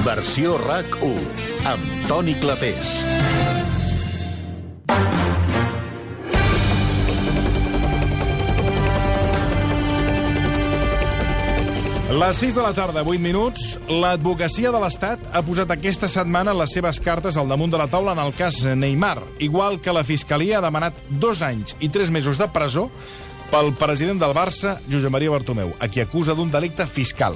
Versió RAC1, amb Toni Clapés. Les 6 de la tarda, 8 minuts, l'advocacia de l'Estat ha posat aquesta setmana les seves cartes al damunt de la taula en el cas Neymar, igual que la Fiscalia ha demanat 2 anys i 3 mesos de presó pel president del Barça, Josep Maria Bartomeu, a qui acusa d'un delicte fiscal.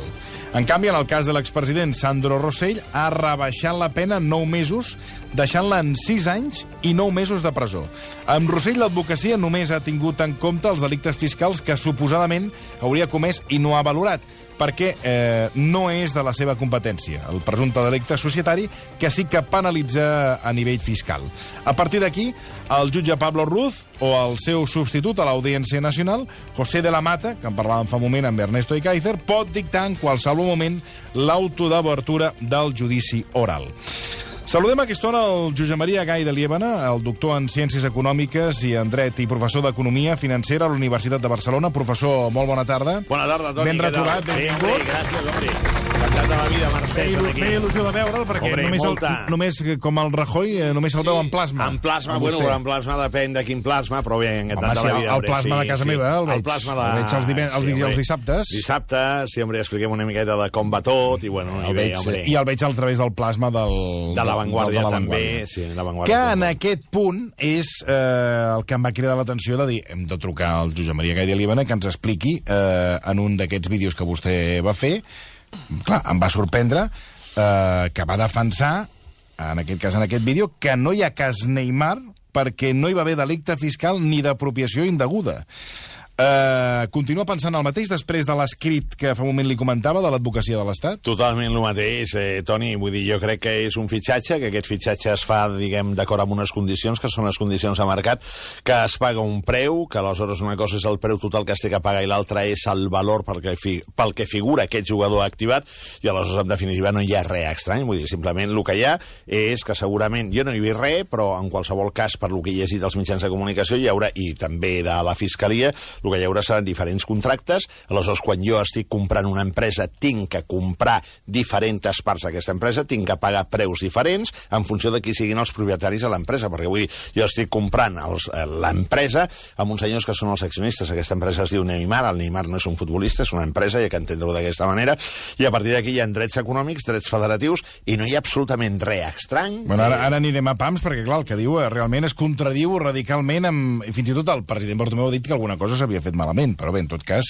En canvi, en el cas de l'expresident Sandro Rosell, ha rebaixat la pena 9 mesos, deixant-la en 6 anys i 9 mesos de presó. Amb Rosell, l'advocacia només ha tingut en compte els delictes fiscals que suposadament hauria comès i no ha valorat, perquè no és de la seva competència, el presumpte delicte societari, que sí que penalitza a nivell fiscal. A partir d'aquí, el jutge Pablo Ruz o el seu substitut a l'Audiència Nacional, José de la Mata, que en parlàvem fa un moment amb Ernesto Ikaizer, pot dictar en qualsevol moment l'auto d'obertura del judici oral. Saludem a aquesta hora el Josep Maria Gay de Liébana, el doctor en Ciències Econòmiques i en Dret i professor d'Economia Financera a la Universitat de Barcelona. Professor, molt bona tarda. Bona tarda, Toni. Ben retrobat, benvingut. Gràcies, home. Encantat de la vida, Mercè. Feia il·lusió de veure'l, perquè només com el Rajoy, només el veu en plasma. En plasma, bueno, en plasma depèn de quin plasma, però bé, encantat de la vida. El plasma de casa meva, el veig. El plasma de... El veig els dissabtes. Dissabtes, sí, hombre, expliquem una miqueta de com va tot, i bueno, i el veig al través del plasma de La Vanguardia, també. Sí, La Vanguardia. Que en aquest punt és el que em va cridar l'atenció de dir, hem de trucar al Josep Maria Gay de Liébana que ens expliqui en un d'aquests vídeos que vostè va fer. Clar, em va sorprendre que va defensar, en aquest cas, en aquest vídeo, que no hi ha cas Neymar perquè no hi va haver delicte fiscal ni d'apropiació indeguda. Continua pensant el mateix després de l'escrit que fa un moment li comentava de l'advocacia de l'Estat? Totalment el mateix, Toni. Vull dir, jo crec que és un fitxatge, que aquest fitxatge es fa, diguem, d'acord amb unes condicions, que són les condicions de mercat, que es paga un preu, que aleshores una cosa és el preu total que es té que pagar i l'altra és el valor pel que figura aquest jugador activat, i aleshores, en definitiva, no hi ha res estrany. Vull dir, simplement el que hi ha és que segurament, jo no hi he vist res, però en qualsevol cas, per lo que he llegit als mitjans de comunicació, hi haurà, i també de la Fiscalia, el que hi haurà seran diferents contractes. Aleshores, quan jo estic comprant una empresa, tinc que comprar diferents parts d'aquesta empresa, tinc que pagar preus diferents en funció de qui siguin els propietaris de l'empresa, perquè vull dir, jo estic comprant l'empresa amb uns senyors que són els accionistes. Aquesta empresa es diu Neymar, el Neymar no és un futbolista, és una empresa, hi ha que entendre-ho d'aquesta manera, i a partir d'aquí hi ha drets econòmics, drets federatius, i no hi ha absolutament res estrany. Bueno, ara anirem a pams, perquè clar, el que diu realment es contradiu radicalment amb... Fins i tot el president Bartomeu ha dit que alguna cosa s'havia fet malament, però bé, en tot cas.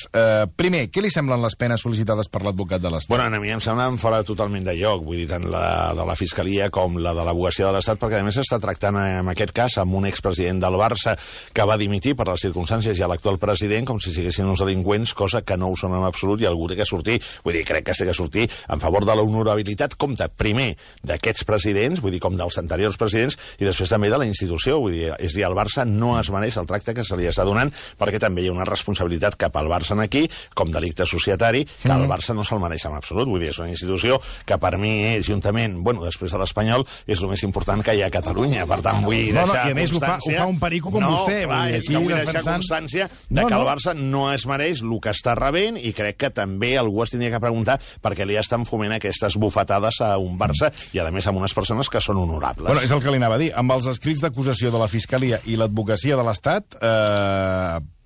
Primer, què li semblen les penes sol·licitades per l'advocat de l'Estat? Bueno, a mi em semblen fora totalment de lloc, vull dir, tant la de la Fiscalia com la de l'advocacia de l'Estat, perquè a més s'està tractant en aquest cas amb un expresident del Barça que va dimitir per les circumstàncies i a l'actual president com si siguessin uns delinqüents, cosa que no ho són en absolut i algú té que sortir. Vull dir, crec que té que sortir en favor de l'honorabilitat, compte primer d'aquests presidents, vull dir, com dels anteriors presidents, i després també de la institució. Vull dir, és dir, el Barça no es mereix el tracte que se li està donant, perquè també hi ha una responsabilitat cap al Barça aquí, com delicte societari, que el Barça no se'l mereix en absolut. Vull dir, és una institució que per mi és, juntament, bueno, després de l'Espanyol, és el més important que hi ha a Catalunya. Per tant, vull deixar i a més ho fa un perico com vostè. No, clar, és que vull deixar constància de que el Barça no es mereix el que està rebent, i crec que també algú es tindria que preguntar per què li estan foment aquestes bufetades a un Barça, i a més amb unes persones que són honorables. Bueno, és el que li anava a dir. Amb els escrits d'acusació de la Fiscalia i l'advocacia de l'Estat,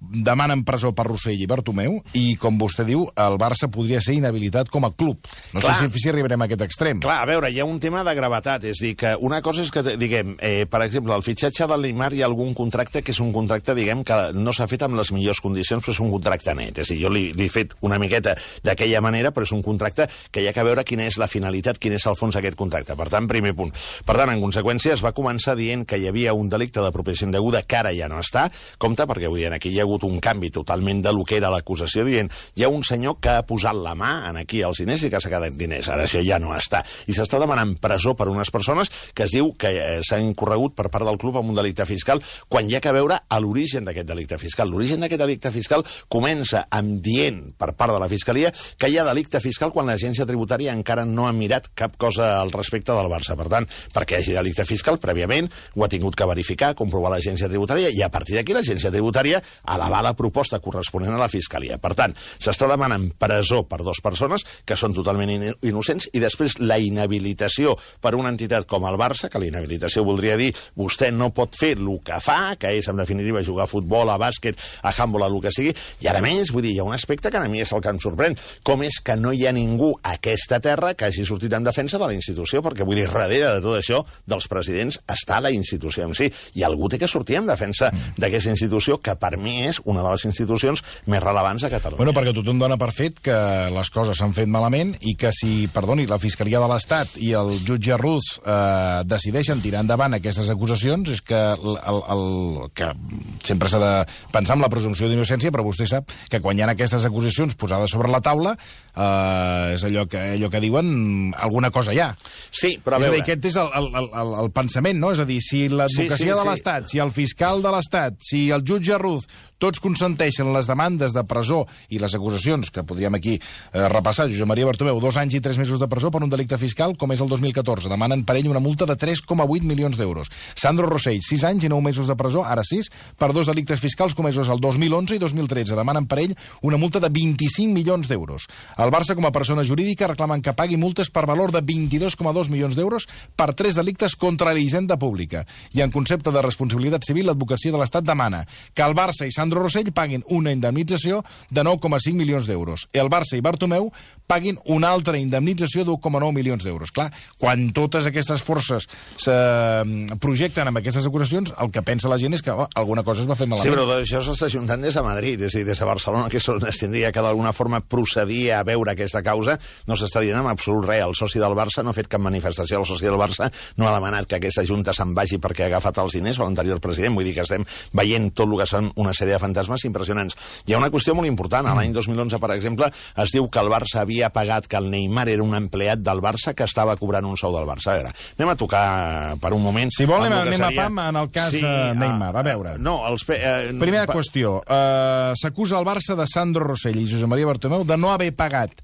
demanen presó per Rosell i Bartomeu, i, com vostè diu, el Barça podria ser inhabilitat com a club. No sé si arribarem a aquest extrem. Clar, a veure, hi ha un tema de gravetat. És dir, que una cosa és que, diguem, per exemple, el fitxatge del Neymar, hi ha algun contracte que és un contracte, diguem, que no s'ha fet amb les millors condicions, però és un contracte net. És dir, jo li he fet una miqueta d'aquella manera, però és un contracte que hi ha que veure quina és la finalitat, quin és el fons d'aquest contracte. Per tant, primer punt. Per tant, en conseqüència, es va començar dient que hi havia un delicte d'apropiació indeguda que ara ja no està. Compte, perquè vull dir, aquí hi ha hagut un canvi totalment de lo que era l'acusació, dient hi ha un senyor que ha posat la mà en aquí als diners i que s'ha quedat diners. Ara això ja no està. I s'està demanant presó per unes persones que es diu que s'han incorregut per part del club amb un delicte fiscal, quan hi ha que veure a l'origen d'aquest delicte fiscal. L'origen d'aquest delicte fiscal comença amb dient per part de la Fiscalia que hi ha delicte fiscal quan l'agència tributària encara no ha mirat cap cosa al respecte del Barça. Per tant, perquè hi hagi delicte fiscal, prèviament ho ha tingut que verificar, comprovar l'agència tributària, i a partir d'aquí l'agència tributària, a elevar la proposta corresponent a la Fiscalia. Per tant, s'està demanant presó per 2 persones que són totalment innocents i després la inhabilitació per una entitat com el Barça, que la inhabilitació voldria dir vostè no pot fer el que fa, que és, en definitiva, jugar a futbol, a bàsquet, a handball, a el que sigui, i a més, vull dir, hi ha un aspecte que a mi és el que em sorprèn, com és que no hi ha ningú a aquesta terra que hagi sortit en defensa de la institució, perquè, vull dir, darrere de tot això, dels presidents, està la institució en si, i algú té que sortir en defensa d'aquesta institució, que per mi és una de les institucions més rellevants a Catalunya. Bueno, perquè tothom dona per fet que les coses s'han fet malament i que si, perdoni, la Fiscalia de l'Estat i el jutge Ruz decideixen tirar endavant aquestes acusacions, és que, que sempre s'ha de pensar en la presumpció d'innocència, però vostè sap que quan hi ha aquestes acusacions posades sobre la taula, és allò que diuen alguna cosa hi ha. Sí, però a veure... És a dir, aquest és el pensament, no? És a dir, si l'advocacia de l'Estat, si el fiscal de l'Estat, si el jutge Ruz, tots consenteixen les demandes de presó i les acusacions, que podríem aquí repassar, Josep Maria Bartomeu, 2 anys i 3 mesos de presó per un delicte fiscal, com és el 2014. Demanen per ell una multa de 3,8 milions d'euros. Sandro Rosell, 6 anys i 9 mesos de presó, ara 6, per 2 delictes fiscals comesos el 2011 i 2013. Demanen per ell una multa de 25 milions d'euros. El Barça, com a persona jurídica, reclamen que pagui multes per valor de 22,2 milions d'euros per 3 delictes contra la hisenda pública. I en concepte de responsabilitat civil, l'advocacia de l'Estat demana que el Barça i Sandro Rosell paguin una indemnització de 9,5 milions d'euros. El Barça i Bartomeu paguin una altra indemnització d'1,9 milions d'euros. Clar, quan totes aquestes forces se projecten amb aquestes acusacions, el que pensa la gent és que alguna cosa es va fer malament. Sí, però tot això s'està ajuntant des de Madrid, és a dir, des de Barcelona, que es tindria que d'alguna forma procedir a veure aquesta causa, no s'està dient en absolut res. El soci del Barça no ha fet cap manifestació, el soci del Barça no ha demanat que aquesta junta se'n vagi perquè ha agafat els diners o l'anterior president, vull dir que estem veient tot el que són una sèrie de fantasmes impressionants. Hi ha una qüestió molt important. L'any 2011, per exemple, es diu que el Barça havia pagat, que el Neymar era un empleat del Barça que estava cobrant un sou del Barça. A veure, anem a tocar per un moment... Si vol, anem a pam en el cas Neymar. A veure. Primera qüestió. S'acusa el Barça de Sandro Rosell i Josep Maria Bartomeu de no haver pagat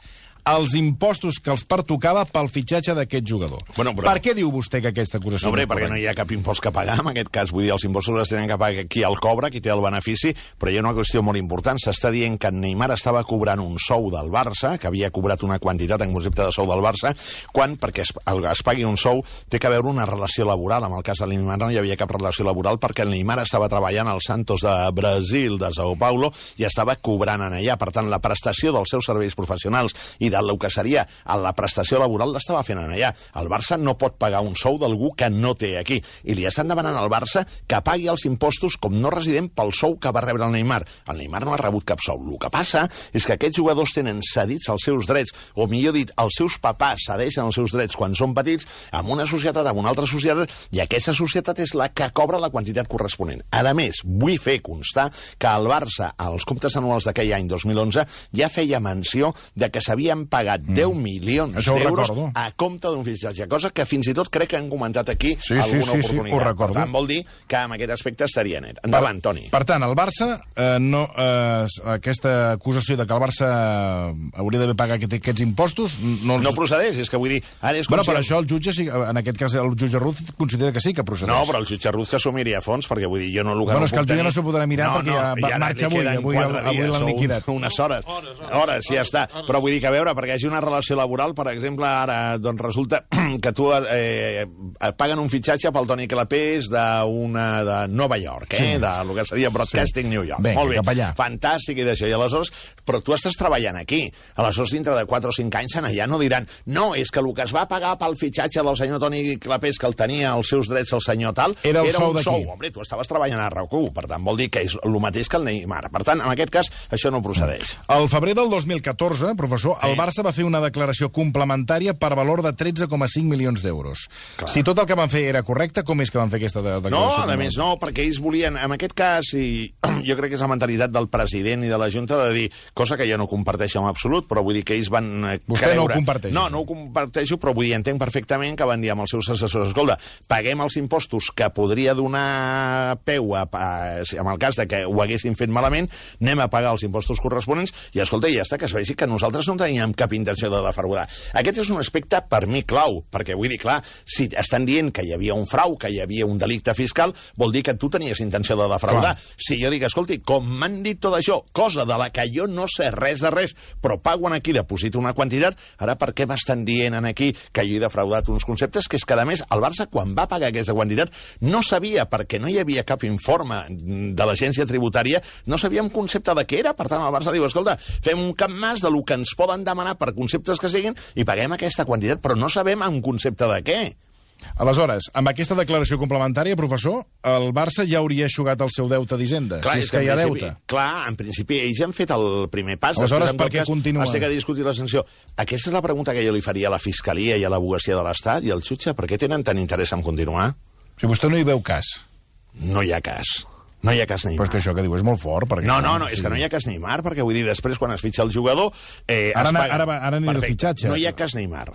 els impostos que els pertocava pel fitxatge d'aquest jugador. Bueno, però... Per què diu vostè que aquesta acusació... No, perquè no hi ha cap impost que pagar en aquest cas. Vull dir, els impostos els tenen que pagar qui el cobra, qui té el benefici, però hi ha una qüestió molt important. S'està dient que en Neymar estava cobrant un sou del Barça, que havia cobrat una quantitat en concepte de sou del Barça, quan, perquè es pagui un sou, té que haver una relació laboral. En el cas de Neymar no hi havia cap relació laboral perquè el Neymar estava treballant al Santos de Brasil, de Sao Paulo, i estava cobrant en allà. Per tant, la prestació dels seus serveis professionals i del que seria la prestació laboral l'estava fent en allà. El Barça no pot pagar un sou d'algú que no té aquí. I li estan demanant al Barça que pagui els impostos com no resident pel sou que va rebre el Neymar. El Neymar no ha rebut cap sou. El que passa és que aquests jugadors tenen cedits els seus drets, o millor dit, els seus papàs cedeixen els seus drets quan són petits amb una societat, amb una altra societat, i aquesta societat és la que cobra la quantitat corresponent. A més, vull fer constar que el Barça, als comptes anuals d'aquell any 2011, ja feia menció de que s'havien pagat 10 milions d'euros a compte d'un fitxatge, cosa que fins i tot crec que han comentat aquí alguna oportunitat. Per tant, vol dir que en aquest aspecte estaria net. Endavant, Toni. Per tant, el Barça, aquesta acusació de que el Barça hauria d'haver pagat aquests impostos... No procedeix, és que vull dir... Bueno, per això el jutge, en aquest cas el jutge Ruz, considera que sí que procedeix. No, però el jutge Ruz que s'ho miri a fons, perquè vull dir, jo no el que no puc tenir... Bueno, és que el jutge no s'ho podrà mirar perquè marxa avui l'han liquidat. Unes hores, ja està. Però vull dir que a veure, perquè hi hagi una relació laboral, per exemple, ara doncs resulta que tu paguen un fitxatge pel Toni Clapés de Nova York, de lo que seria Broadcasting New York. Molt bé, fantàstic i d'això. I aleshores, però tu estàs treballant aquí. Aleshores, dintre de 4 o 5 anys, allà no diran no, és que el que es va pagar pel fitxatge del senyor Toni Clapés, que el tenia els seus drets el senyor tal, era un sou. Home, tu estaves treballant a RAC1, per tant, vol dir que és el mateix que el Neymar. Per tant, en aquest cas, això no procedeix. Al febrer del 2014, professor, el Barça va fer una declaració complementària per valor de 13,5 milions d'euros. Si tot el que van fer era correcte, com és que van fer aquesta declaració? No, a més no, perquè ells volien, en aquest cas, i jo crec que és la mentalitat del president i de la Junta de dir, cosa que jo no comparteixo en absolut, però vull dir que ells van Vostè no ho comparteix? No, no ho comparteixo, però vull dir, entenc perfectament que van dir amb els seus assessors, escolta, paguem els impostos que podria donar peu en el cas de que ho haguessin fet malament, anem a pagar els impostos corresponents i, escolta, ja està, que es vegi que nosaltres no teníem teníem cap intenció de defraudar. Aquest és un aspecte, per mi, clau, perquè vull dir, clar, si estan dient que hi havia un frau, que hi havia un delicte fiscal, vol dir que tu tenies intenció de defraudar. Si jo dic, escolti, com m'han dit tot això, cosa de la que jo no sé res de res, però pago aquí, deposito una quantitat, ara per què m'estan dient aquí que jo he defraudat uns conceptes? Que és que, a més, el Barça, quan va pagar aquesta quantitat, no sabia, perquè no hi havia cap informe de l'agència tributària, no sabia un concepte de què era. Per tant, el Barça diu, escolta, fem un cap mas de lo que ens poden demanar per conceptes que siguin i paguem aquesta quantitat, però no sabem un concepte de què. Aleshores, amb aquesta declaració complementària, professor, el Barça ja hauria eixugat el seu deute d'Hisenda, si és que hi ha deute. Clar, en principi, ells han fet el primer pas. Aleshores, per què continua? Va ser que discutir la sanció. Aquesta és la pregunta que jo li faria a la Fiscalia i a l'Advocacia de l'Estat i al jutge. Per què tenen tant interès en continuar? Si vostè no hi veu cas. No hi ha cas. No hi ha cas Neymar. Però és que això que diu és molt fort. No, és que no hi ha cas Neymar, perquè vull dir, després, quan es fitxa el jugador... Ara anirà el fitxatge. No hi ha cas Neymar.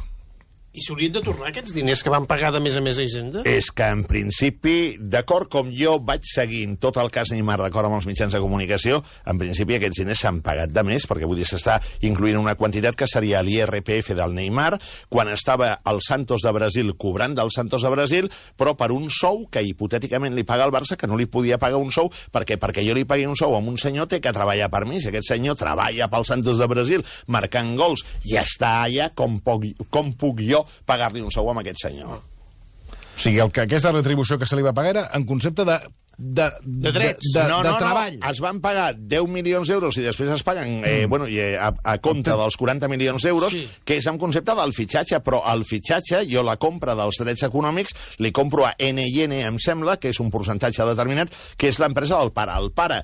I s'haurien de tornar aquests diners que van pagar de més a més a Hisenda? És que, en principi, d'acord com jo vaig seguint tot el cas Neymar, d'acord amb els mitjans de comunicació, en principi aquests diners s'han pagat de més, perquè vull dir, s'està incloent una quantitat que seria l'IRPF del Neymar, quan estava al Santos de Brasil cobrant del Santos de Brasil, però per un sou que hipotèticament li paga el Barça, que no li podia pagar un sou, perquè jo li pagui un sou a un senyor té que treballar per mi. Si aquest senyor treballa pel Santos de Brasil marcant gols i està allà, com puc jo pagar-li un sou amb aquest senyor? O sigui, aquesta retribució que se li va pagar era en concepte de drets. De treball. Es van pagar 10 milions d'euros i després es paguen a compte dels 40 milions d'euros, que és en concepte del fitxatge, però el fitxatge, jo la compra dels drets econòmics, li compro a NN, em sembla, que és un percentatge determinat, que és l'empresa del pare. El pare,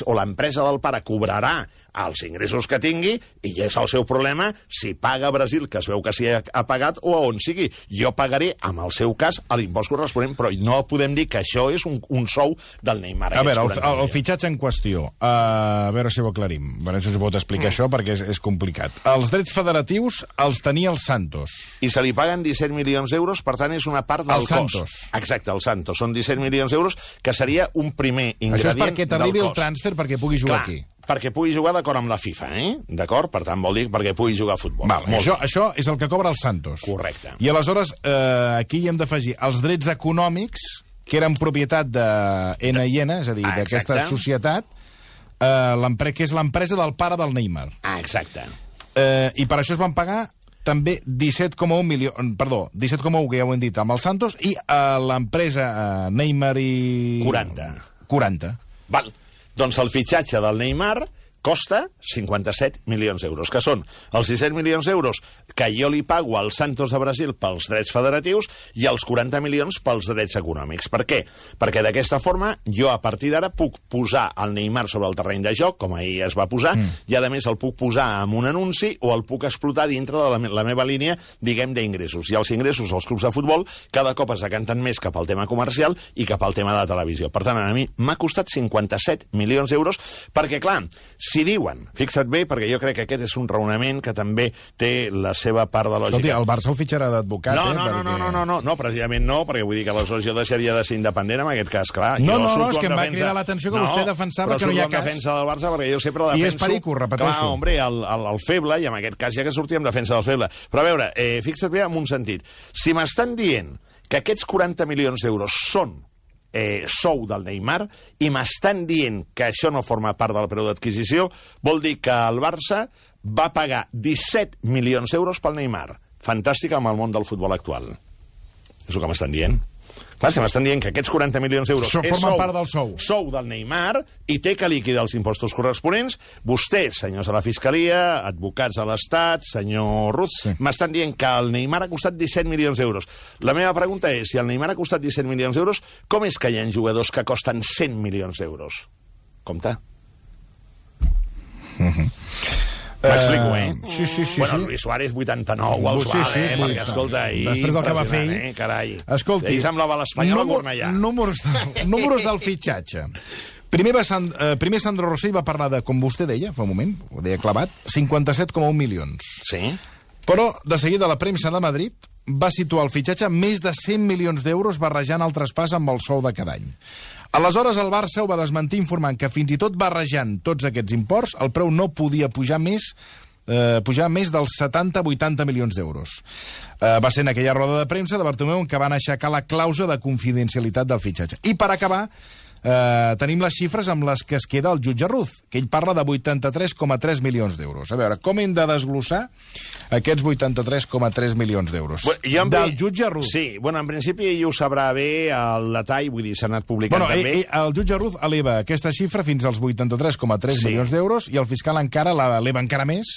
o l'empresa del pare, cobrarà els ingressos que tingui, i és el seu problema si paga a Brasil, que es veu que s'hi ha pagat, o a on sigui. Jo pagaré, en el seu cas, l'impost corresponent, però no podem dir que això és un sou del Neymar. A veure, el fitxatge en qüestió, a veure si ho aclarim. A veure si us pot explicar això, perquè és complicat. Els drets federatius els tenia el Santos. I se li paguen 17 milions d'euros, per tant, és una part del cost. Santos. Exacte, el Santos. Són 17 milions d'euros, que seria un primer ingredient del cost. Això és perquè t'arribi el transfer perquè pugui jugar aquí. Perquè pugui jugar d'acord amb la FIFA, D'acord? Per tant, vol dir perquè pugui jugar a futbol. Això és el que cobra el Santos. Correcte. I aleshores, aquí hi hem d'afegir els drets econòmics, que eren propietat de NN, és a dir, d'aquesta societat, que és l'empresa del pare del Neymar. Exacte. I per això es van pagar també 17,1 milions... Perdó, 17,1, que ja ho hem dit, amb el Santos, i l'empresa Neymar i... 40. Val. Doncs el fitxatge del Neymar costa 57 milions d'euros, que són els 17 milions d'euros que jo li pago al Santos de Brasil pels drets federatius i els 40 milions pels drets econòmics. Per què? Perquè d'aquesta forma jo a partir d'ara puc posar el Neymar sobre el terreny de joc, com ahir es va posar, i a més el puc posar amb un anunci o el puc explotar dintre de la meva línia, diguem, d'ingressos. I els ingressos als clubs de futbol cada cop es decanten més cap al tema comercial i cap al tema de la televisió. Per tant, a mi m'ha costat 57 milions d'euros perquè, clar, si diuen, fixa't bé, perquè jo crec que aquest és un raonament que també té la seva part de lògica. Escolti, el Barça el fitxarà d'advocat, No, precisament no, perquè vull dir que aleshores jo deixaria de ser independent en aquest cas, clar. No, és que em va cridar l'atenció que vostè defensava que no hi ha cas. Però defensa del Barça, perquè jo sempre defenso... I és perico, repeteixo. Clar, hombre, el feble, i en aquest cas ja que sortia en defensa del feble. Però a veure, fixa't bé en un sentit. Si m'estan dient que aquests 40 milions d'euros són sou del Neymar i m'estan dient que això no forma part del preu d'adquisició, vol dir que el Barça va pagar 17 milions d'euros pel Neymar. Fantàstic amb el món del futbol actual. És el que m'estan dient. Clar, si m'estan dient que aquests 40 milions d'euros formen part del sou del Neymar i té que liquidar els impostos corresponents, vostès, senyors de la Fiscalia, advocats de l'Estat, senyor Ruz, m'estan dient que el Neymar ha costat 17 milions d'euros. La meva pregunta és, si el Neymar ha costat 17 milions d'euros, com és que hi ha jugadors que costen 100 milions d'euros? Compte. M'explico, Sí. Bueno, Luis Suárez, 89, al suave, perquè, escolta, després del que va fer ahir... Carai. Escolti... Ell semblava l'Espanyol a Cornellà. Números del fitxatge. Primer Sandro Rosell va parlar de, com vostè deia, fa un moment, ho deia clavat, 57,1 milions. Sí. Però, de seguida, la premsa de Madrid va situar el fitxatge més de 100 milions d'euros barrejant el traspàs amb el sou de cada any. Aleshores, el Barça ho va desmentir informant que fins i tot barrejant tots aquests imports, el preu no podia pujar més pujar més dels 70-80 milions d'euros. Va ser en aquella roda de premsa de Bartomeu que van aixecar la clàusula de confidencialitat del fitxatge. I per acabar, tenim les xifres amb les que es queda el jutge Ruz, que ell parla de 83,3 milions d'euros. A veure, com hem de desglossar aquests 83,3 milions d'euros? Del jutge Ruz. Sí, en principi ell ho sabrà bé el detall, vull dir, s'ha anat publicant també. El jutge Ruz eleva aquesta xifra fins als 83,3 milions d'euros i el fiscal encara l'eleva encara més,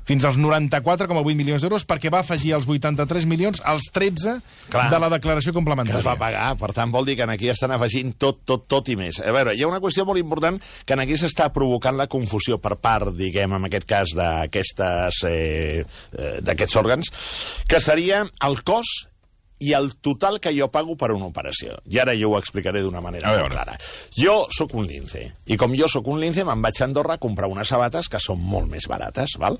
fins als 94,8 milions d'euros, perquè va afegir els 83 milions als 13 de la declaració complementària. Que es va pagar, per tant vol dir que aquí estan afegint tot i més. A veure, hi ha una qüestió molt important que aquí s'està provocant la confusió per part, diguem, en aquest cas d'aquests òrgans, que seria el cost i el total que jo pago per una operació. I ara jo ho explicaré d'una manera molt clara. Jo sóc un lince, i com jo sóc un lince me'n vaig a Andorra a comprar unes sabates que són molt més barates, val?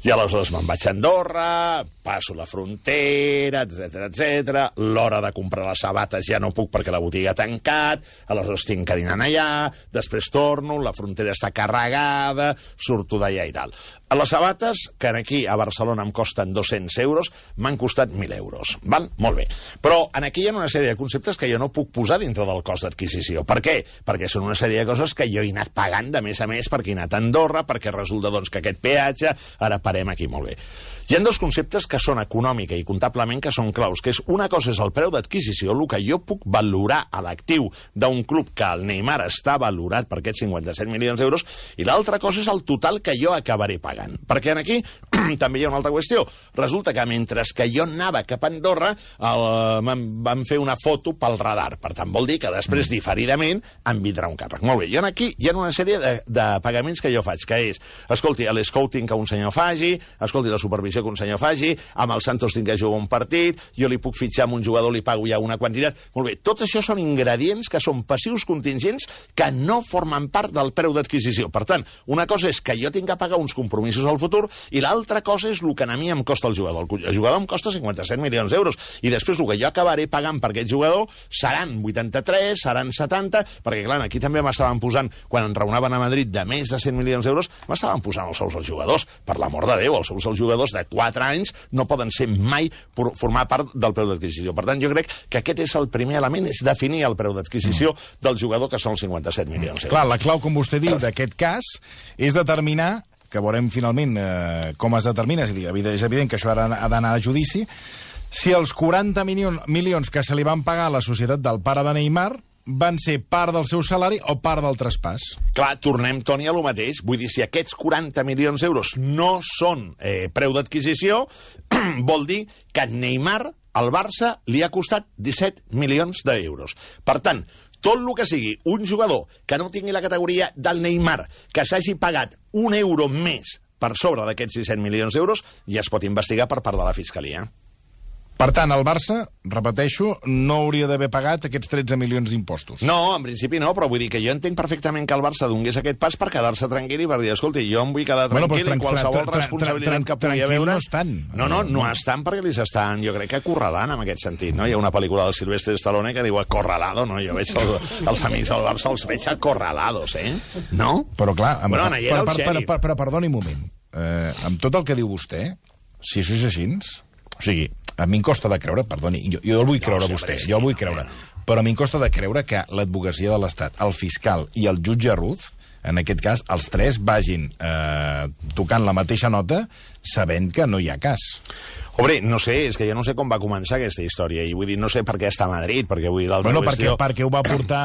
I aleshores me'n vaig a Andorra, passo la frontera, etc. L'hora de comprar les sabates ja no puc perquè la botiga ha tancat, aleshores tinc que dinar allà, després torno, la frontera està carregada, surto d'allà i tal. Les sabates, que aquí a Barcelona em costen 200 euros, m'han costat 1.000 euros, val? Molt bé. Però aquí hi ha una sèrie de conceptes que jo no puc posar dintre del cost d'adquisició. Per què? Perquè són una sèrie de coses que jo he anat pagant de més a més perquè he anat a Andorra, perquè resulta que aquest peatge, ara parem aquí molt bé. Hi ha dos conceptes que són econòmica i comptablement que són claus, que és una cosa és el preu d'adquisició, el que jo puc valorar a l'actiu d'un club que el Neymar està valorat per aquests 57 milions d'euros, i l'altra cosa és el total que jo acabaré pagant. Perquè aquí també hi ha una altra qüestió. Resulta que mentre que jo anava cap a Andorra van fer una foto pel radar. Per tant, vol dir que després, diferidament, em vindrà un càrrec. Molt bé, i aquí hi ha una sèrie de pagaments que jo faig, que és, escolti, l'escouting que un senyor faci, escolti, la supervisió que un senyor faci, amb el Santos tinc que jugar un partit, jo li puc fitxar amb un jugador, li pago ja una quantitat. Molt bé, tot això són ingredients que són passius contingents que no formen part del preu d'adquisició. Per tant, una cosa és que jo tinc que pagar uns compromisos al futur i l'altra cosa és el que a mi em costa el jugador. El jugador em costa 57 milions d'euros i després el que jo acabaré pagant per aquest jugador seran 83, seran 70, perquè clar, aquí també m'estaven posant, quan en raonaven a Madrid de més de 100 milions d'euros, m'estaven posant els sous als jugadors. Per l'amor de Déu, els sous als jugadors de 4 anys no poden ser mai formar part del preu d'adquisició. Per tant, jo crec que aquest és el primer element, és definir el preu d'adquisició del jugador, que són els 57 milions d'euros. Clar, la clau, com vostè diu, d'aquest cas és determinar, que veurem finalment com es determina, és evident que això ha d'anar a judici, si els 40 milions que se li van pagar a la societat del pare de Neymar van ser part del seu salari o part del traspàs. Clar, tornem, Toni, a lo mateix. Vull dir, si aquests 40 milions d'euros no són preu d'adquisició, vol dir que Neymar, al Barça, li ha costat 17 milions d'euros. Per tant, tot el que sigui un jugador que no tingui la categoria del Neymar, que s'hagi pagat un euro més per sobre d'aquests 17 milions d'euros, ja es pot investigar per part de la Fiscalia. Per tant, el Barça, repeteixo, no hauria d'haver pagat aquests 13 milions d'impostos. No, en principi no, però vull dir que jo entenc perfectament que el Barça donés aquest pas per quedar-se tranquil i per dir, escolti, jo em vull quedar tranquil i qualsevol responsabilitat que pugui haver... no estan. No estan perquè li s'estan, jo crec que acorralant en aquest sentit, no? Hi ha una pel·lícula del Silvestre Stallone que diu acorralado, no? Jo veig els amics del Barça, els veig acorralados, no? Però clar, però perdoni un moment. Amb tot el que diu vostè, si això és així, o sigui, a mi em costa de creure, perdoni, jo el vull creure vostè, jo el vull creure, però a mi em costa de creure que l'advocacia de l'Estat, el fiscal i el jutge Ruz, en aquest cas, els tres vagin tocant la mateixa nota sabent que no hi ha cas. Hombre, no sé, és que jo no sé com va començar aquesta història, i vull dir, no sé per què està a Madrid, perquè vull dir l'altra qüestió... perquè ho va portar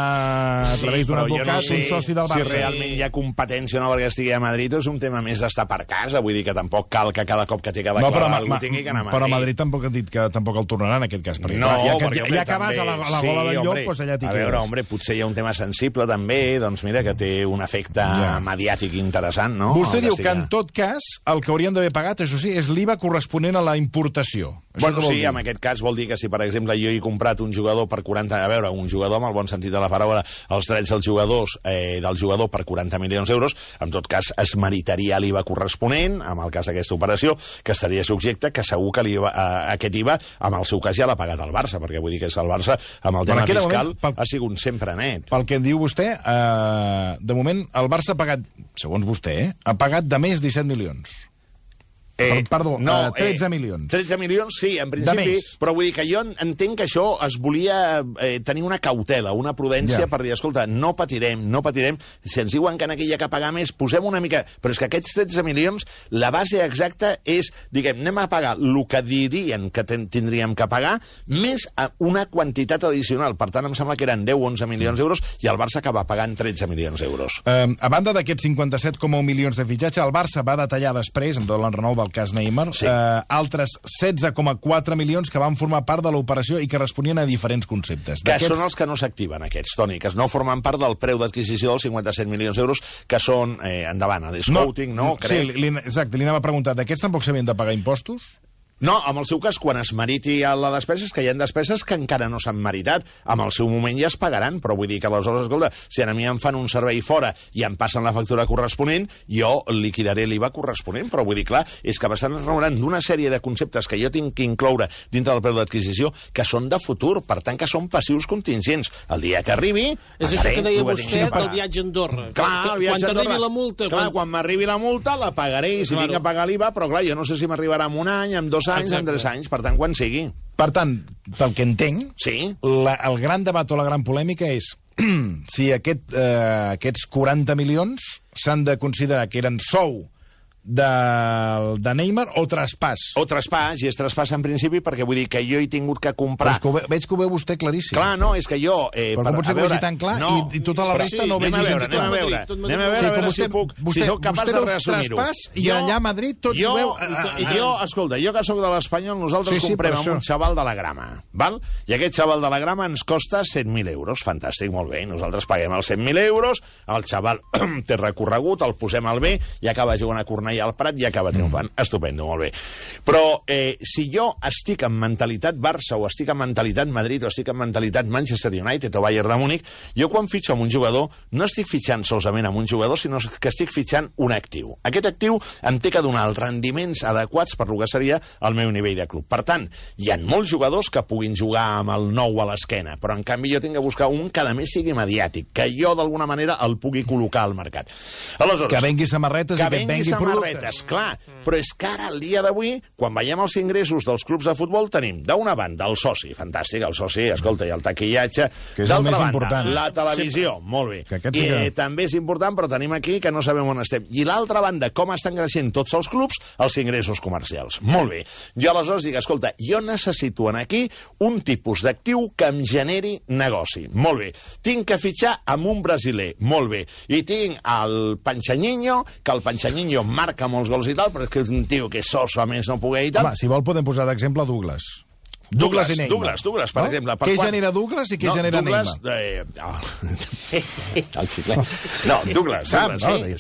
a través d'un advocat, un soci del Barça. Si realment hi ha competència o no perquè estigui a Madrid, és un tema més d'estar per casa, vull dir que tampoc cal que cada cop que té que declarar algú tingui que anar a Madrid. Però a Madrid tampoc han dit que tampoc el tornaran, en aquest cas, perquè ja que vas a la gola del llop, doncs allà t'hi quedes. A veure, home, potser hi ha un tema sensible també, doncs mira, que té un efecte mediàtic interessant, no? Vostè diu que en tot cas el que haurien d'haver pagat, això sí, és l'IVA corresponent a la importació. Bueno, sí, en aquest cas vol dir que si, per exemple, jo he comprat un jugador per 40... A veure, un jugador, amb el bon sentit de la paraula, els drets del jugador per 40 milions d'euros, en tot cas es meritaria l'IVA corresponent, en el cas d'aquesta operació, que estaria subjecte, que segur que aquest IVA, en el seu cas, ja l'ha pagat el Barça, perquè vull dir que és el Barça, amb el tema fiscal, ha sigut sempre net. Pel que em diu vostè, de moment, el Barça ha pagat, segons vostè, ha pagat de més 17 milions. Perdó, 13 milions. 13 milions, sí, en principi, però vull dir que jo entenc que això es volia tenir una cautela, una prudència per dir, escolta, no patirem, si ens diuen que aquí hi ha que pagar més, posem una mica... Però és que aquests 13 milions, la base exacta és, diguem, anem a pagar el que dirien que tindríem que pagar, més una quantitat addicional. Per tant, em sembla que eren 10 o 11 milions d'euros i el Barça acaba pagant 13 milions d'euros. A banda d'aquests 57,1 milions de fitxatge, el Barça va detallar després, amb tot l'enrenou del cas Neymar, altres 16,4 milions que van formar part de l'operació i que responien a diferents conceptes. Que són els que no s'activen, aquests, Toni, que no formen part del preu d'adquisició dels 57 milions d'euros, que són, endavant, l'escouting, no? Sí, exacte, li anava a preguntar, d'aquests tampoc s'havien de pagar impostos? No, en el seu cas, quan es meriti la despesa, és que hi ha despeses que encara no s'han meritat. En el seu moment ja es pagaran, però vull dir que aleshores, escolta, si a mi em fan un servei fora i em passen la factura corresponent, jo liquidaré l'IVA corresponent, però vull dir, clar, és que bastant es reuran d'una sèrie de conceptes que jo tinc que incloure dintre del preu d'adquisició que són de futur, per tant que són passius contingents. El dia que arribi... És això que deia vostè del viatge a Andorra. Clar, el viatge a Andorra. Quan t'arribi la multa... Clar, quan m'arribi la multa la pagaré i si tinc que pagar l'IVA, però clar, jo no sé si m'arribarà en un any, en 2 anys, en 3 anys, per tant, quan sigui. Per tant, pel que entenc, el gran debat o la gran polèmica és si aquests 40 milions s'han de considerar que eren sou de Neymar o traspàs. O traspàs, i és traspàs en principi perquè vull dir que jo he tingut que comprar... Però veig que ho veu vostè claríssim. Clar, no, és que jo... Però com pot ser que ho vegi tan clar i tota la resta no ho vegi gens clar? Anem a veure si sóc capaç de reassumir-ho. Traspàs i allà a Madrid tots ho veu... Escolta, jo que sóc de l'Espanyol, nosaltres comprem amb un xaval de la Grama, val? I aquest xaval de la Grama ens costa 100.000 euros. Fantàstic, molt bé. Nosaltres paguem els 100.000 euros, el xaval té recorregut, el posem al B i acaba jugant a Cornellà al Prat i acaba triomfant. Estupendo, molt bé. Però si jo estic en mentalitat Barça o estic en mentalitat Madrid o estic en mentalitat Manchester United o Bayern de Múnich, jo quan fitxo amb un jugador no estic fitxant solament amb un jugador, sinó que estic fitxant un actiu. Aquest actiu em té que donar els rendiments adequats per lo que seria el meu nivell de club. Per tant, hi ha molts jugadors que puguin jugar amb el 9 a l'esquena, però en canvi jo tinc que buscar un que a més sigui mediàtic, que jo d'alguna manera el pugui col·locar al mercat. Aleshores, que vengui samarretes i que vengui productes. Clar, però és que ara, al dia d'avui, quan veiem els ingressos dels clubs de futbol, tenim, d'una banda, el soci, fantàstic, el soci, escolta, i el taquillatge, d'altra banda, la televisió, molt bé, i també és important, però tenim aquí que no sabem on estem. I l'altra banda, com estan creixent tots els clubs, els ingressos comercials. Molt bé. Jo aleshores dic, escolta, jo necessito aquí un tipus d'actiu que em generi negoci. Molt bé. Tinc que fitxar amb un brasiler. Molt bé. I tinc el Panxanyinho, que el Panxanyinho marca molts gols i tal, però és que és un tio que soso a més no poder i tal. Home, si vol podem posar d'exemple Douglas. Douglas i Neymar. Douglas, per exemple. Què genera Douglas i què genera Neymar? El xiclet. No, Douglas.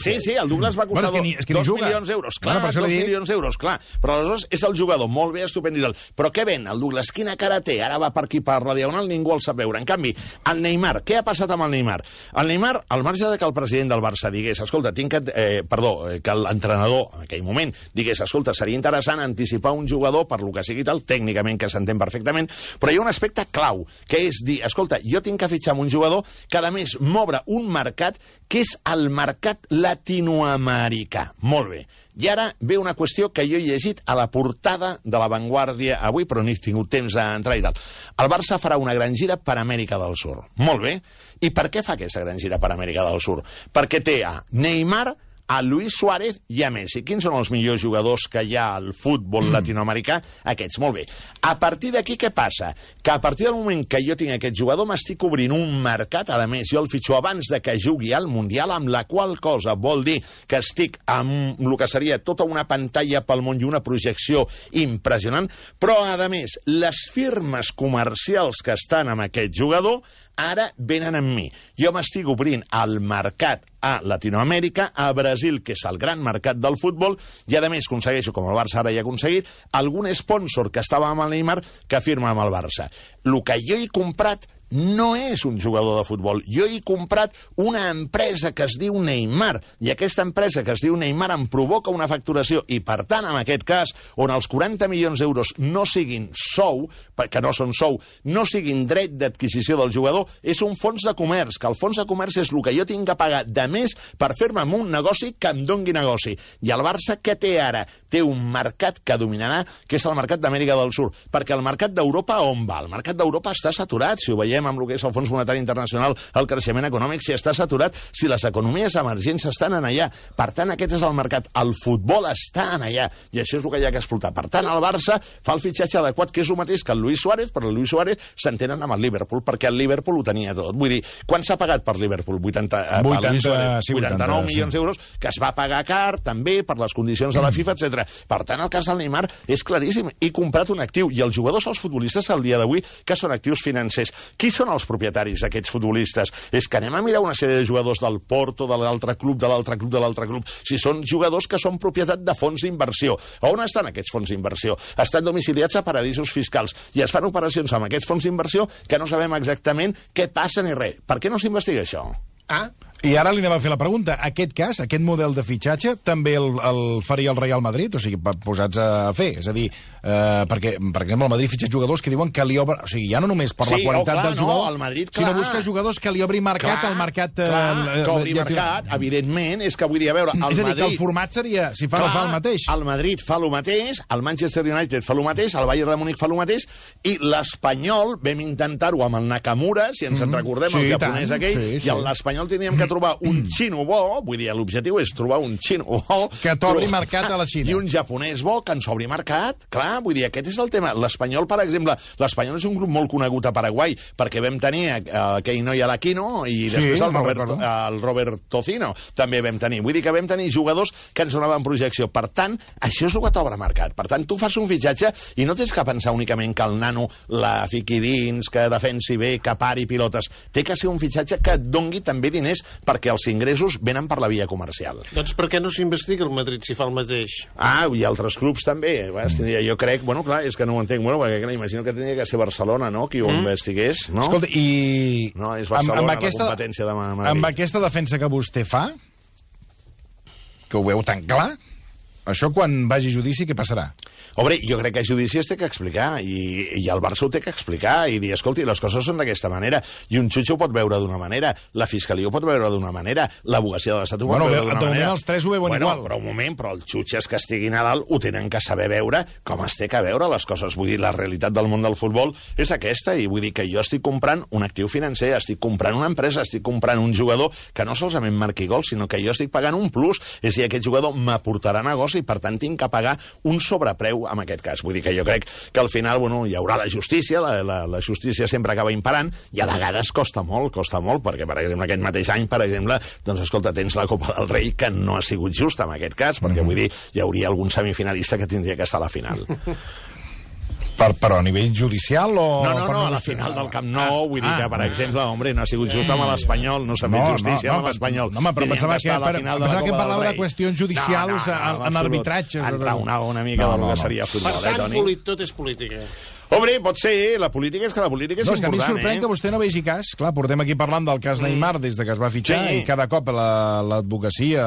Sí, el Douglas va costar 2 milions d'euros. Clar, 2 milions d'euros, clar. Però aleshores és el jugador, molt bé, estupend i tal. Però què ven, el Douglas? Quina cara té? Ara va per aquí per la diagonal, ningú el sap veure. En canvi, el Neymar, què ha passat amb el Neymar? El Neymar, al marge de que el president del Barça digués, escolta, que l'entrenador, en aquell moment, digués, escolta, seria interessant anticipar un jugador per lo que sigui tal, tècnicament que s'entén perfectament, però hi ha un aspecte clau, que és dir, escolta, jo tinc que fitxar amb un jugador que, a més, m'obre un mercat que és el mercat latinoamericà. Molt bé. I ara ve una qüestió que jo he llegit a la portada de La Vanguardia avui, però no he tingut temps d'entrar i tal. El Barça farà una gran gira per Amèrica del Sur. Molt bé. I per què fa aquesta gran gira per Amèrica del Sur? Perquè té a Neymar, a Luis Suárez i a Messi. Quins són els millors jugadors que hi ha al futbol latinoamericà? Aquests, molt bé. A partir d'aquí, què passa? Que a partir del moment que jo tinc aquest jugador m'estic obrint un mercat, a més, jo el fitxo abans de que jugui al Mundial, amb la qual cosa vol dir que estic amb el que seria tota una pantalla pel món i una projecció impressionant, però, a més, les firmes comercials que estan amb aquest jugador ara venen amb mi. Jo m'estic obrint al mercat a Latinoamèrica, a Brasil, que és el gran mercat del futbol, i a més aconsegueixo, com el Barça ara ja ha aconseguit, algun sponsor que estava amb el Neymar que firma amb el Barça. El que jo he comprat no és un jugador de futbol. Jo he comprat una empresa que es diu Neymar, i aquesta empresa que es diu Neymar em provoca una facturació, i per tant, en aquest cas, on els 40 milions d'euros no siguin sou, perquè no són sou, no siguin dret d'adquisició del jugador, és un fons de comerç, que el fons de comerç és el que jo tinc que pagar de més per fer-me amb un negoci que em dongui negoci. I el Barça què té ara? Té un mercat que dominarà, que és el mercat d'Amèrica del Sud, perquè el mercat d'Europa on va? El mercat d'Europa està saturat, si ho veiem amb el que és el Fons Monetari Internacional, el creixement econòmic, si està saturat, si les economies emergents estan en allà. Per tant, aquest és el mercat. El futbol està en allà, i això és el que hi ha que explotar. Per tant, el Barça fa el fitxatge adequat, que és el mateix que el Luis Suárez, però el Luis Suárez s'entenen amb el Liverpool, perquè el Liverpool ho tenia tot. Vull dir, quan s'ha pagat per Liverpool? 89 milions d'euros, que es va pagar car, també, per les condicions de la FIFA, etc. Per tant, el cas del Neymar és claríssim. He comprat un actiu, i els jugadors, els futbolistes, al dia d'avui, que són actius financers. Qui són els propietaris d'aquests futbolistes? És que anem a mirar una sèrie de jugadors del Porto, de l'altre club, de l'altre club, de l'altre club, si són jugadors que són propietat de fons d'inversió. On estan aquests fons d'inversió? Estan domiciliats a paradisos fiscals, i es fan operacions amb aquests fons d'inversió que no sabem exactament què passa ni res. Per què no s'investiga això? I ara li anem a fer la pregunta. Aquest cas, aquest model de fitxatge, també el faria el Real Madrid? O sigui, posats a fer. És a dir, perquè, per exemple, el Madrid fitxa jugadors que diuen que li obre... O sigui, ja no només per la qualitat del jugador, el Madrid, sinó busca jugadors que li obri mercat al mercat... que obri mercat, evidentment, és que vull dir, a veure, el Madrid... És a dir, que el format seria, si fa el mateix. El Madrid fa el mateix, el Manchester United fa el mateix, el Bayern de Múnich fa el mateix, i l'Espanyol vam intentar-ho amb el Nakamura, si ens en recordem, el japonès aquell, i l'Espanyol teníem que trobar un xino bo, vull dir, l'objectiu és trobar un xino bo... Que t'obri mercat a la Xina. I un japonès bo que ens obri mercat. Clar, vull dir, aquest és el tema. L'Espanyol, per exemple, l'Espanyol és un grup molt conegut a Paraguai, perquè vam tenir Keino i Alaquino, i després el Robert Tocino també vam tenir. Vull dir que vam tenir jugadors que ens donaven projecció. Per tant, això és el que t'obre mercat. Per tant, tu fas un fitxatge i no tens que pensar únicament que el nano la fiqui dins, que defensi bé, que pari pilotes. Té que ser un fitxatge que et dongui també diners, perquè els ingressos venen per la via comercial. Doncs per què no s'investiga el Madrid si fa el mateix? I altres clubs també. Jo crec, bueno, clar, és que no ho entenc, perquè imagino que tenia que ser Barcelona, no?, qui ho investigués, no? Escolta, i... No, és Barcelona la competència de Madrid. Amb aquesta defensa que vostè fa, que ho veu tan clar, això quan vagi a judici, què passarà? Home, jo crec que a judici es té que explicar, i el Barça ho té que explicar, i dir, escolti, les coses són d'aquesta manera, i un jutge ho pot veure d'una manera, la fiscalia ho pot veure d'una manera, l'abogacia de l'Estat ho pot veure d'una manera. Els tres ho veuen igual. Però un moment, però els jutges que estiguin a dalt ho tenen que saber veure com es té que veure les coses. Vull dir, la realitat del món del futbol és aquesta, i vull dir que jo estic comprant un actiu financer, estic comprant una empresa, estic comprant un jugador que no solament marqui gols, sinó que jo estic pagant un plus, és a dir, aquest jugador m'aportarà negoci, i per tant tinc que pagar un sobrepreu en aquest cas. Vull dir que jo crec que al final, hi haurà la justícia, la justícia sempre acaba imperant, i a vegades costa molt, perquè, per exemple, aquest mateix any, per exemple, doncs, escolta, tens la Copa del Rei, que no ha sigut justa en aquest cas, perquè, vull dir, hi hauria algun semifinalista que tindria que estar a la final. Però a nivell judicial o... No, a la final del Camp Nou, vull dir que, per exemple, no ha sigut just amb l'Espanyol, no s'ha fet justícia amb l'Espanyol. No, però pensava que parlava de qüestions judicials en arbitratges. Enraonava una mica del que seria futbol, Per tant, tot és política. Home, pot ser, la política és important, és que a mi sorprèn que vostè no vegi cas. Clar, portem aquí parlant del cas Neymar des de que es va fitxar, i cada cop l'advocacia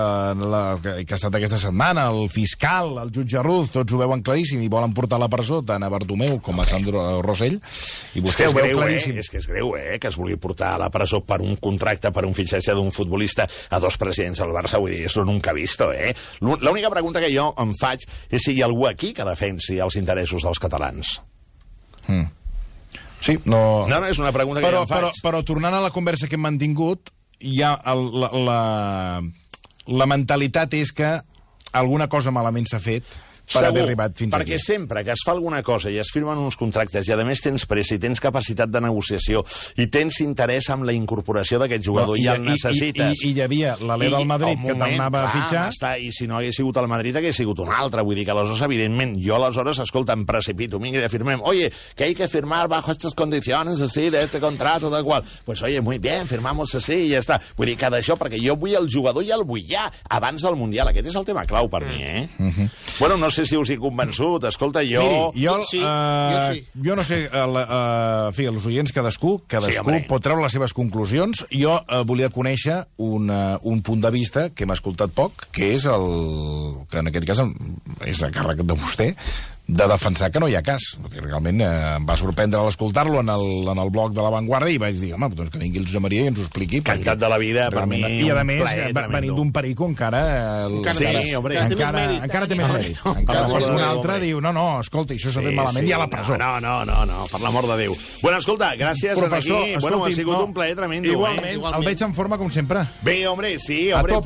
que ha estat aquesta setmana, el fiscal, el jutge Ruz, tots ho veuen claríssim i volen portar a la presó tant a Bartomeu com a Sandro Rosell, i vostè ho veu claríssim. És que és greu, que es vulgui portar a la presó per un contracte, per un fitxatge d'un futbolista a dos presidents del Barça. Vull dir, això nunca visto, L'única pregunta que jo em faig és si hi ha algú aquí que defensi els interessos dels catalans. Sí, no, és una pregunta que jo em faig. Però tornant a la conversa que hem mantingut, ja la mentalitat és que alguna cosa malament s'ha fet per haver arribat fins aquí. Perquè sempre que es fa alguna cosa i es firmen uns contractes i a més tens pressa i tens capacitat de negociació i tens interès en la incorporació d'aquest jugador i el necessites... I hi havia l'Alè del Madrid que t'anava a fitxar... I si no hagués sigut el Madrid hagués sigut un altre. Vull dir que aleshores, evidentment, jo aleshores, escolta, em precipito, vinga, i firmem. Oye, que hay que firmar bajo estas condiciones así, de este contrato, tal qual. Pues oye, muy bien, firmamos así i ja està. Vull dir que d'això, perquè jo vull el jugador i el vull ja, abans del Mundial. Aquest és el tema clau per mi, Bueno, no sé si us he convençut. Escolta, jo... Miri, jo sí. jo no sé, en fi, els oients cadascú hombre. pot treure les seves conclusions. Jo volia conèixer un punt de vista que hem escoltat poc, que és que en aquest cas és a càrrec de vostè, de defensar que no hi ha cas. Realment em va sorprendre a l'escoltar-lo en el blog de La Vanguardia i vaig dir, home, doncs que vingui el Josep Maria i ens ho expliqui. Encantat de la vida, per mi, I a més, tremendo. venint d'un perico encara... Encara té més mèrit. Encara un altre diu, no, escolta, això s'ha fet malament, i a la presó. No, per l'amor de Déu. Bueno, escolta, gràcies Professor, aquí. Bueno, ha sigut un plaer tremendo. Igualment, el veig en forma com sempre. Bé, hombre,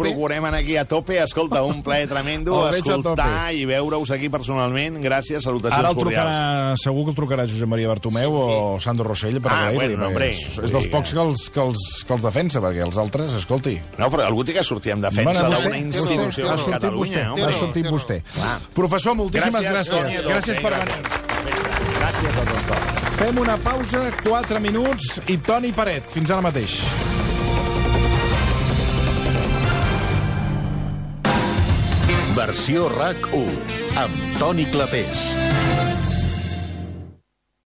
procurem aquí a tope. Escolta, un plaer tremendo escoltar i veure-us aquí personalment. Gràcies, salutacions cordials. Segur que el trucarà Josep Maria Bartomeu o Sandro Rossell per agrair-li. És dels pocs que els defensa, perquè els altres, escolti... No, però algú té que sortir en defensa d'una institució com Catalunya. Ha sortit vostè. Professor, moltíssimes gràcies. Gràcies per venir. Gràcies a tots. Fem una pausa, 4 minuts, i Toni Peret. Fins ara mateix. Versió RAC 1, amb Toni Clapés.